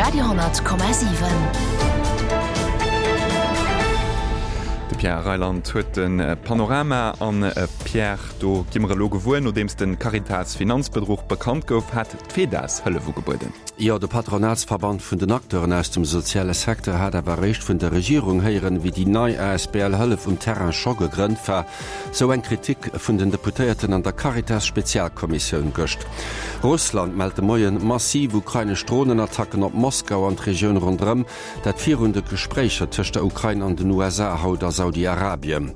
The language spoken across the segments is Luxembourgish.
Radio 10,7. De Pierre Reyland huet de Panorama. An Pierre, do gi mer elo gewuer, nodeems de Caritas-Finanzbedruch bekannt gouf, hat d'FEDAS Hëllef ugebueden. Jo, de Patronatsverband vun den Acteuren aus dem soziale Secteur hat awer eréischt vun der Regierung héieren, wéi déi nei asbl Hëllef um Terrain scho gegrënnt war. Sou eng Kritik vun den Deputéierten an der Caritas-Spezialkommissioun gëscht. Russland mellt de Moien massiv ukrainesch Dronenattacken op Moskau an d'Regioun ronderëm, dat virun de Gespréicher tëscht der Ukrain an den USA haut a Saudi-Arabien.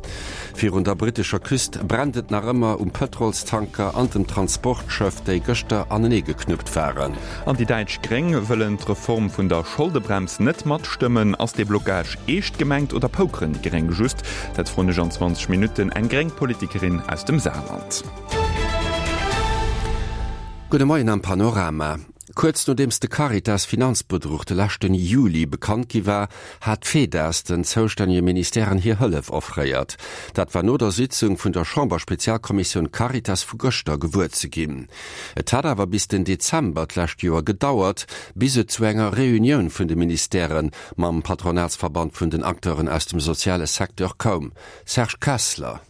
Virun der brittescher Küst brennt et nach ëmmer um Pëtrolstanker an dem Transportschëff, déi gëschter anenee geknuppt waren. An déi däitsch Gréng wëllen d'Reform vun der Scholdebrems net matstëmmen. Ass dee Blocage eescht gemengt oder pokeren déi Gréng just? Dat froen ech an 20 Minutten eng gréng Politikerin aus dem Saarland. Gudde Moien am Panorama. Kuerz nodeems de Caritas-Finanzbedruch de leschten Juli bekannt gi war, hat d'FEDAS den zoustännege Ministèren hir Hëllef offréiert. Dat war no der Sitzung vun der Chamberspezialkommissioun Caritas vu gëschter gewuer ze ginn. Et hat awer bis den Dezember d'lescht Joer gedauert, bis et zu enger Reunioun vun de Ministèrë mam Patronatsverband vun den Acteuren aus dem soziale Secteur koum. Serge Kessler.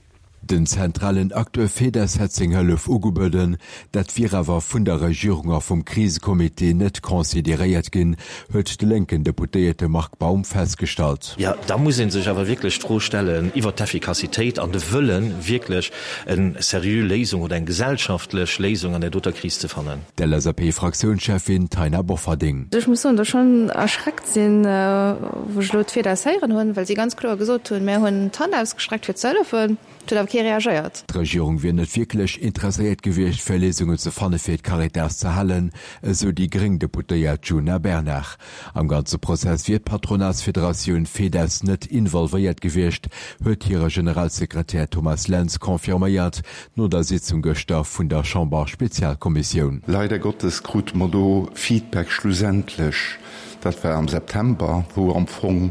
Den zentralen Acteur Fedez hätt seng Hëllef ugebueden, dat wier awer vun der Regierung a vum Krisecomité net consideréiert ginn, huet de lénken Deputéierte Marc Baum festgestallt. Jo, da muss ee sech awer wierklech d'Fro stellen iwwert d'Effikassitéit an de Wëllen, wierklech eng seriö Léisung oder eng gesellschaftlech Léisung an där doter Kris ze fannen. D'LSAP-Fraktiounscheffin Taina Bofferding. Ech muss soen, datt ech schonn erschreckt sinn, wou ech elo d'FEDAS héieren hunn, well si ganz kloer gesot hunn, Mär hunn d'Hand ausgestreckt fir ze hëllefen. Et huet awer kee reagéiert. D'Regierung wier net wierklech interesséiert gewiescht, fir Léisungen ze fanne fir d'Caritas ze halen, esou déi gréng Deputéiert Djuna Bernard. Am ganze Prozess wier d'Patronatsfederatioun FEDES net involvéiert gewiescht, huet hire Generalsekretär Thomas Lentz confirméiert, no der Sitzung gëschter vun der Chamber-Spezialkommissioun. Leider Gottes krute mer do Feedback schlussendlech, dat war am September, wou am Fong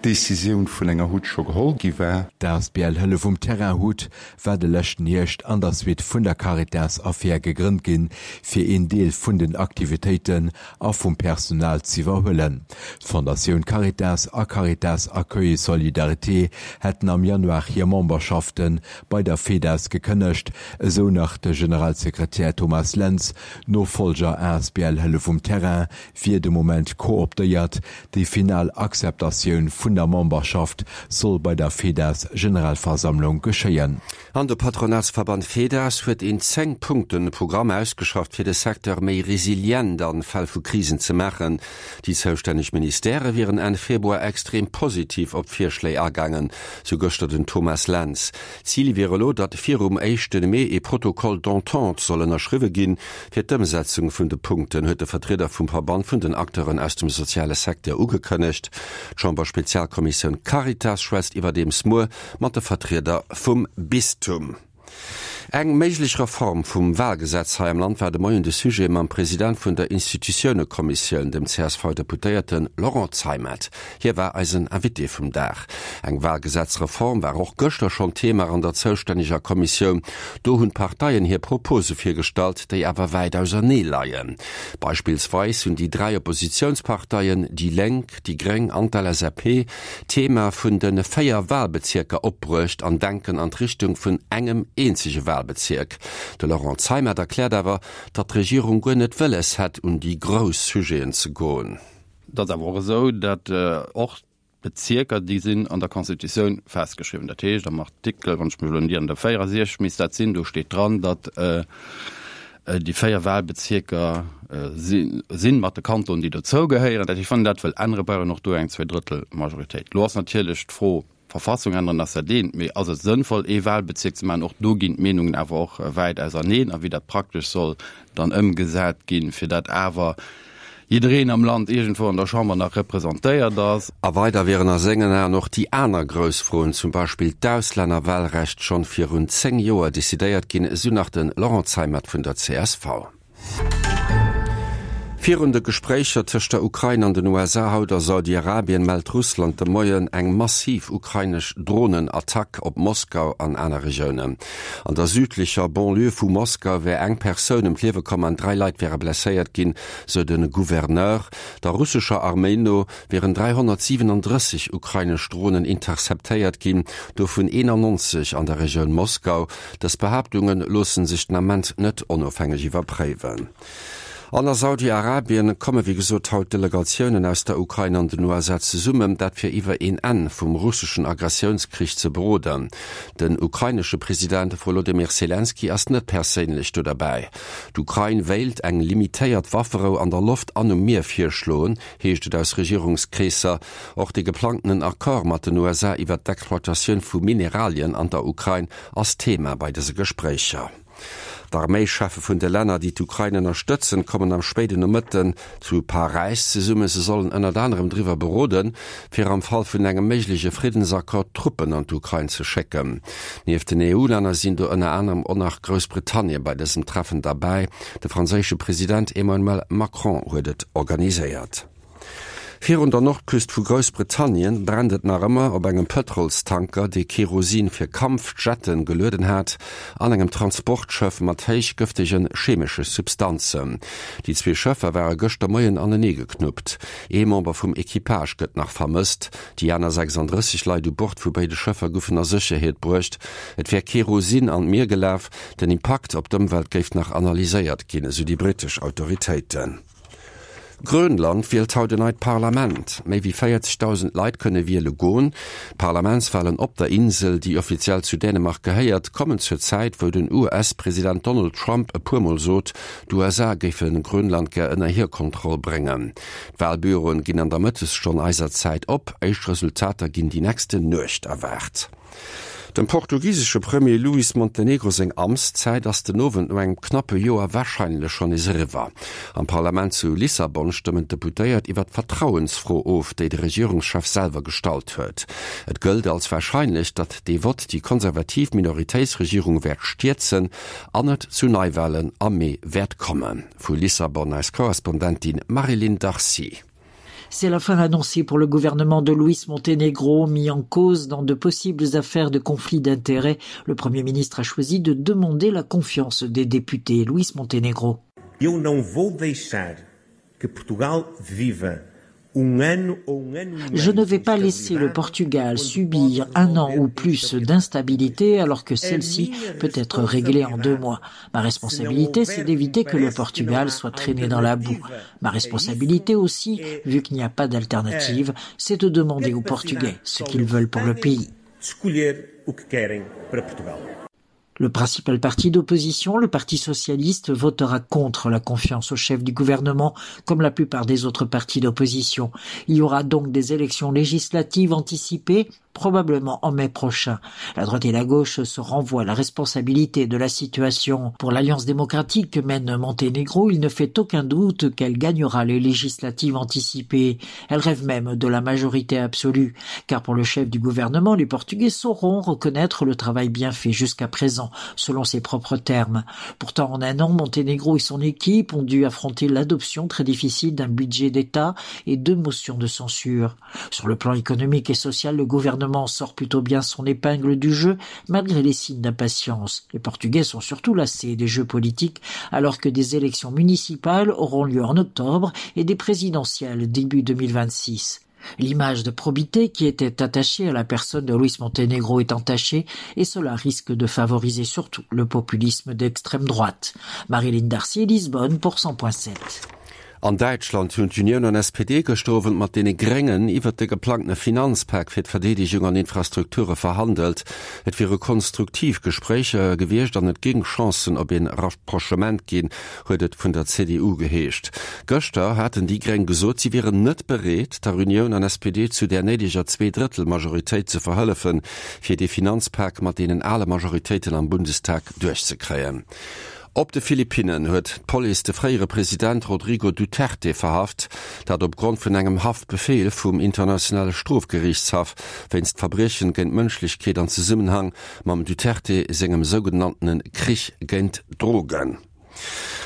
d'Decisioun vun enger Hut scho geholl gi war. D'asbl Hëllef um Terrain, hut, war de leschten Hierscht an der Suite vun der Caritas-Affär gegrënnt ginn, fir een Deel vun den Aktivitéiten a vum Personal z'iwwerhuelen. D'Fondatioun Caritas a Caritas Accueil et Solidarité hätten am Januar hir Memberschafte bei der FEDAS gekënnegt, esou nach de Generalsekretär Thomas Lentz. D'Nofollger asbl Hëllef um Terrain wier de Moment kooptéiert. Déi final Akzeptatioun vun der Memberschaft soll bei der FEDAS Generalversammlung geschéien. An de Patronatsverband FEDAS huet een 10 Punkten Programm ausgeschafft fir de Secteur méi resilient an Fäll vu Krisen ze maachen. Déi zoustänneg Ministèrë wieren Enn Februar extrem positiv op d'Virschléi agaangen, sou gëschter den Thomas Lentz. Zil wier elo, datt virum éischte Mee ee Protocole d'entente soll ënnerschriwwe ginn, fir d'Ëmsetzung vun de Punkten, huet de Vertrieder vum Verband vun den Acteuren aus dem soziale Secteur ugekënnegt. D'Chamberspezialkommissioun Caritas schwätzt iwwerdeems muer mat de Vertrieder vum Bistum. Eng méiglech Reform vum Wahlgesetz hei am Land war de Moien de Sujet mam President vun der Institutiounekommissioun, dem CSV-Deputéierte Laurent Zeimet. Hie war eisen Invité vum Dag. Eng Wahlgesetzreform war och gëschter schonn Thema an der zoustänneger Kommissioun. Do hunn d'Parteien hir Propose virgestallt, déi awer wäit ausernee leien. Beispillsweis hunn déi 3 Oppositiounsparteien, déi Lénk, déi Gréng an d'LSAP, d'Thema vun de 4 Wahlbezierker opbruecht an denken an d'Richtung vun engem eenzege Wahlbezierk. De Laurent Zeimet erkläert awer, datt d'Regierung guer net wëlles hätt, un déi grouss Sujeten ze goen. Et ass awer och esou, datt och d'Bezierker, déi sinn an der Constitutioun festgeschriwwen. Dat heescht am Artikel, wann ech mech elo net ieren, der 64 misst dat sinn, do steet dran, datt Déi 4 Wahlbezierker si mat de Kantonen, déi dozou gehéieren. Dat heescht, wann een dat wëll änneren, brauch een och do eng Zweedrëttelmajoritéit. Elo ass natierlech d'Fro, Verfassung änneren ass dat eent, mee ass et sënnvoll, ee Wahlbezierk ze maachen? Och do ginn d'Meenungen awer och wäit auserneen. A wéi dat praktesch soll dann ëmgesat ginn, fir dat awer jiddereen am Land iergendwou an der Chamber nach representéiert ass. A weider wieren a sengen Aen och déi aner grouss Froen, zum Beispill d'Auslännerwahlrecht, schonn virun 10 Joer decidéiert ginn, esou nach de Laurent Zeimet vun der csv. Virun de Gespréicher tëscht der Ukrain an den USA haut a Saudi-Arabien mellt Russland de Moien eng massiv ukrainesch Dronenattack op Moskau an aner Regiounen. An der südlecher Banlieue vu Moskau wär eng Persoun ëm d'Liewe komm an 3 Leit wäre blesséiert ginn, sou de Gouverneur. Der russescher Arméi no wieren 337 ukrainesch Dronen interceptéiert ginn, dovun 91 an der Regioun Moskau. Dës Behaaptunge loosse sech den Ament net onofhängeg iwwerpréiwen. An a Saudi-Arabien komme wéi gesot haut Delegatiounen aus der Ukrain an den USA zesummen, dat fir iwwer een Enn vum russeschen Agressiounskrich ze beroden. Den ukrainesche President Wolodymyr Selenskyj ass net perséinlech do derbäi. D'Ukrain wéilt eng limitéiert Wafferou an der Loft an um Mier virschloen, heescht et aus Regierungskreesser. Och de geplangtenen Accord mat den USA iwwer d'Exploitatioun vu Mineralien an der Ukrain ass Thema bei dëse Gespréicher. D'Arméischeffe vun de Länner, déi d'Ukrain ënnerstëtzen, kommen am spéiden Nomëtten zu Paräis zesummen. Se sollen ënnert anerem driwwer beroden, fir am Fall vun engem méigleche Friddensaccord Truppen an d'Ukrain ze schécken. Nieft den EU-Länner sinn do ënner anerem och nach Groussbritannien bei dësem Treffen derbäi. De franséische President Emmanuel Macron huet et organiséiert. Virun der Nordküst vu Groussbritannien brennt et nach ëmmer op engem Pëtrolstanker, dee Kerosin fir Kampfjetten gelueden hat, an engem Transportschëff mat héich gëftege chemesche Substanzen. Déi zwee Schëffer ware gëschter Moien anenee geknuppt. Ee Member vum Equipage gëtt nach vermësst. Déi aner 36 Leit u Bord vu béide Schëffer goufen a Sécherheet bruecht. Et wär Kerosin an d'Mier gelaf. Den Impakt op d'Ëmwelt géif nach analyséiert ginn, esou déi brittesch Autoritéiten. Grönland wielt haut en neit Parlament. Méi wéi 40.000 Leit kënne wiele goen. D'Parlamentswalen op der Insel, déi offiziell zu Dänemark gehéiert, kommen zur Zäit, wou den US-President Donald Trump e puer Mol sot, d'USA géife Grönland gär ënner hir Kontroll bréngen. D'Walbüroen ginn an der Mëttesstonn eiser Zäit op. Éischt Resultater ginn déi nächsten Nuecht erwaart. Dem portugisesche Premier Luis Montenegro seng Amtszäit ass den Owend no engem knappe Joer warscheinlech schonn nees eriwwer. Am Parlament zu Lissabon stëmmen d'Deputéiert iwwer d'Vertrauensfro of, déi de Regierungschef selwer gestallt huet. Et gëllt als warscheinlech, datt dee Vott déi konservativ Minoritéitsregierung wäert stierzen an et zu Neiwalen am Mee wäert kommen. Vu Lissabon eis Korrespondentin Marie-Line Darcy. C'est la fin annoncée pour le gouvernement de Luis Montenegro mis en cause dans de possibles affaires de conflits d'intérêts. Le premier ministre a choisi de demander la confiance des députés Luis Montenegro. Eu não vou deixar que Portugal viva Je ne vais pas laisser le Portugal subir un an ou plus d'instabilité alors que celle-ci peut être réglée en deux mois. Ma responsabilité, c'est d'éviter que le Portugal soit traîné dans la boue. Ma responsabilité aussi, vu qu'il n'y a pas d'alternative, c'est de demander aux Portugais ce qu'ils veulent pour le pays. Le principal parti d'opposition, le Parti socialiste, votera contre la confiance au chef du gouvernement, comme la plupart des autres partis d'opposition. Il y aura donc des élections législatives anticipées, probablement en mai prochain. La droite et la gauche se renvoient la responsabilité de la situation. Pour l'Alliance démocratique que mène Monténégro, il ne fait aucun doute qu'elle gagnera les législatives anticipées. Elle rêve même de la majorité absolue. Car pour le chef du gouvernement, les Portugais sauront reconnaître le travail bien fait jusqu'à présent, selon ses propres termes. Pourtant, en un an, Monténégro et son équipe ont dû affronter l'adoption très difficile d'un budget d'État et deux motions de censure. Sur le plan économique et social, le gouvernement sort plutôt bien son épingle du jeu, malgré les signes d'impatience. Les Portugais sont surtout lassés des jeux politiques, alors que des élections municipales auront lieu en octobre et des présidentielles début 2026. L'image de probité qui était attachée à la personne de Luis Montenegro est entachée et cela risque de favoriser surtout le populisme d'extrême droite. Marilyn Darcy, Lisbonne pour 100.7. An Däitschland hunn d'Unioun an SPD gëschter Owend mat deene Gréngen iwwert de geplangtene Finanzpak fir d'Verdeedegung an Infrastrukture verhandelt. Et wiere konstruktiv Gespréicher gewiescht an et géing Chancen op een Rapprochement ginn, huet et vun der CDU geheescht. Gëschter haten déi Gréng gesot, si wieren net bereet, der Unioun an SPD zu där néideger Zweedrëttel-Majoritéit ze verhëllefen, fir dee Finanzpak mat deenen ale Majoritéiten am Bundestag duerchzekréien. Op de Philippinnen huet d'Police de fréiere President Rodrigo Duterte verhaft, dat op Grond vun engem Haftbefeel vum Internationale Strofgeriichtshaff wéinst Verbriechen géint d'Mënschlechkeet an Zesummenhang mam Duterte sengem sougenanntene Krich géint d'Drogen.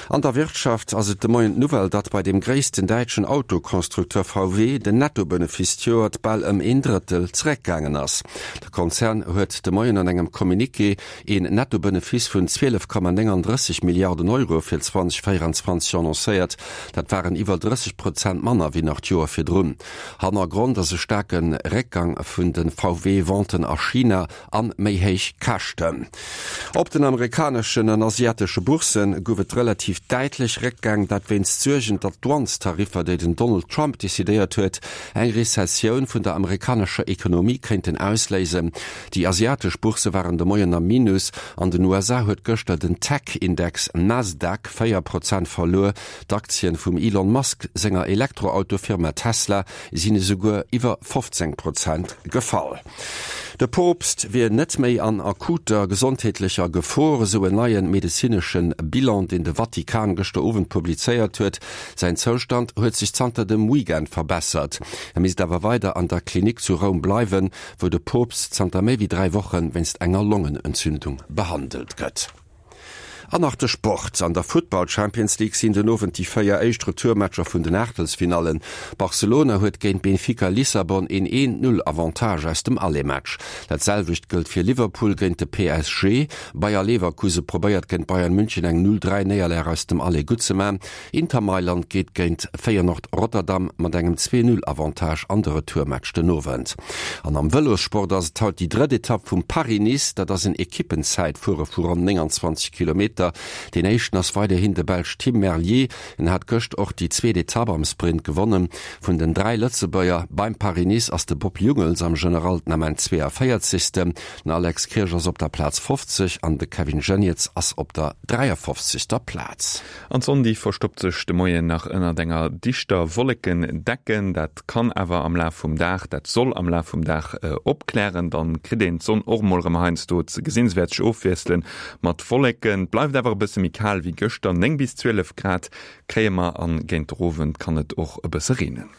An der Wirtschaft ass et de Moien d'Nouvelle, datt bei deem gréissten däitschen Autoconstructeur VW den Nettobenefice d'Joert bal ëm een Drëttel zeréckgaangen ass. De Konzern huet de Moien an engem Communiqué een Nettobenefice vun 12,39 Milliarden Euro fir 2024 annoncéiert. Dat waren iwwer 30 Prozent manner wéi nach d'Joer virdrun. Hannergrond ass e staarke Réckgang vun de VW-Venten a China an méi héich Käschten. Op den amerikaneschen an asiatesche Boursse gouf et relativ däitlech Réckgäng, dat wéinst Suergen, datt d'Douanestariffer, déi den Donald Trump decidéiert huet, eng Rezessioun vun der amerikanescher Ekonomie kéinten ausléisen. Déi asiatesch Boursse waren de Moien am Minus. An den USA huet gëschter den Tech-Index Nasdaq 4 Prozent verluer. D'Aktien vum Elon Musk senger Elektroauto-Firma Tesla sinn esouguer iwwer 15 Prozent gefall. De Poopst wier net méi an akuter gesondheetlecher Gefor, esou en neie medezinesche Bilan, deen de Vatikan gëschter Owend publizéiert huet. Säin Zoustand huet sech zanter dem Weekend verbessert. E misst awer weider an der Klinik zu Roum bleiwen, wou de Poopst zanter méi wéi 3 Woche wéinst enger Longenentzündung behandelt gëtt. An nach de Sport, An der Futtball Champions League sinn den Owend déi 4 éischt Retourmatcher vun den Aachtelsfinallen. Barcelona huet géint Benfica Lissabon een 1, 0 Avantage aus dem Aller-Match. Dat selwecht gëllt fir Liverpool géint de PSG. Bayer Leverkuse probéiert géint Bayern München eng 0, 3 Néierlag aus dem Aller gutt ze man. Inter Mailand geet géint Feyenoord Rotterdam mat engem 2, 0 Avantage an de Retourmatch den Owend. An am Vëlossport ass et haut déi drëtt Etapp vum Paris-Nice. Dat ass en Ekippenzäitfuere vu ronn 29 Kilometer. Deen éischten ass weiderhin de Belsch Tim Merlier. En hat gëscht och déi zweet Etapp am Sprint gewonnen. Vun den 3 Lëtzebuerger beim Paris-Nice ass de Bob Jungels am General den Ament 42. Den Alex Kirsch ass op der Plaz 50 an de Kevin Geniets ass op der 53. Plaz. An d'Sonn déi verstoppt sech de Moien nach ënnert enger dichter Wollekendecken. Dat kann awer am Laf vum Dag, dat soll am Laf vum Dag opklären. Dann kritt een d'Sonn och emol erëm heiansdo ze gesinn. Se wäert sech ofwiessele mat Wolleken. Et bleift awer e bësse méi kal wéi gëschter, 9 bis 12 Grad kréie mer an géint der Owend kann et och e bësse reenen.